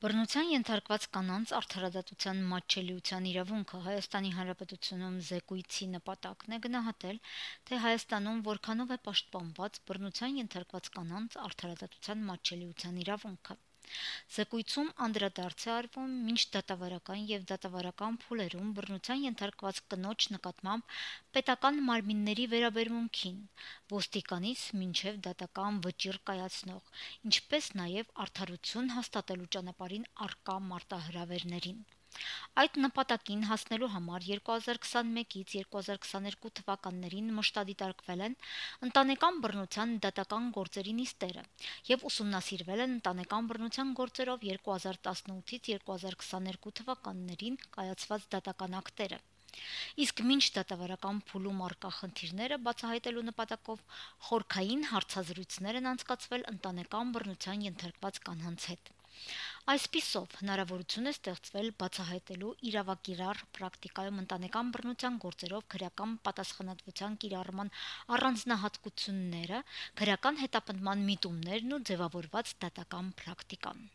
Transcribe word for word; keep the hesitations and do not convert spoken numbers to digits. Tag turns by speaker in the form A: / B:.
A: Բռնության ենթարկված կանանց արդարադատության մատչելիության իրավունքը Հայաստանի Հանրապետությունում զեկույցի նպատակն է գնահատել, թե Հայաստանում որքանով է պաշտպանված բռնության ենթարկված կանանց արդարադատության մատչելիության իրավունքը։ Զեկույցում անդրադարձ է արվում մինչդատավարական և դատավարական փուլերում բռնության ենթարկված կնոջ նկատմամբ պետական մարմինների վերաբերմունքին՝ ոստիկանից մինչև դատական վճիռ կայացնող, ինչպես նաև արդարություն հաստատելու ճանապարհին առկա մարտահրավերներին։ Այդ նպատակին հասնելու համար երկու հազար քսանմեկից երկու հազար քսաներկու թվականներին մշտադիտարկվել են ընտանեկան բռնության դատական գործերի նիստերը և ուսումնասիրվել են ընտանեկան բռնության գործերով երկու հազար տասնութից երկու հազար քսաներկու թվականներին կայացված դատական ակտերը։ Իսկ մինչդատավարական փուլում առկա խնդիրները բացահայտելու նպատակով խորքային հարցազրույցներ են անցկացվել ընտանեկան բռնության ենթարկված կանանց հետ։ Այսպիսով, հնարավորություն է ստեղծվել բացահայտելու իրավակիրառ պրակտիկայում ընտանեկան բռնության գործերով քրեական պատասխանատվության կիրառման առանձնահատկությունները, քրեական հետապնդման միտումներն ու ձևավորված դատական պրակտիկան։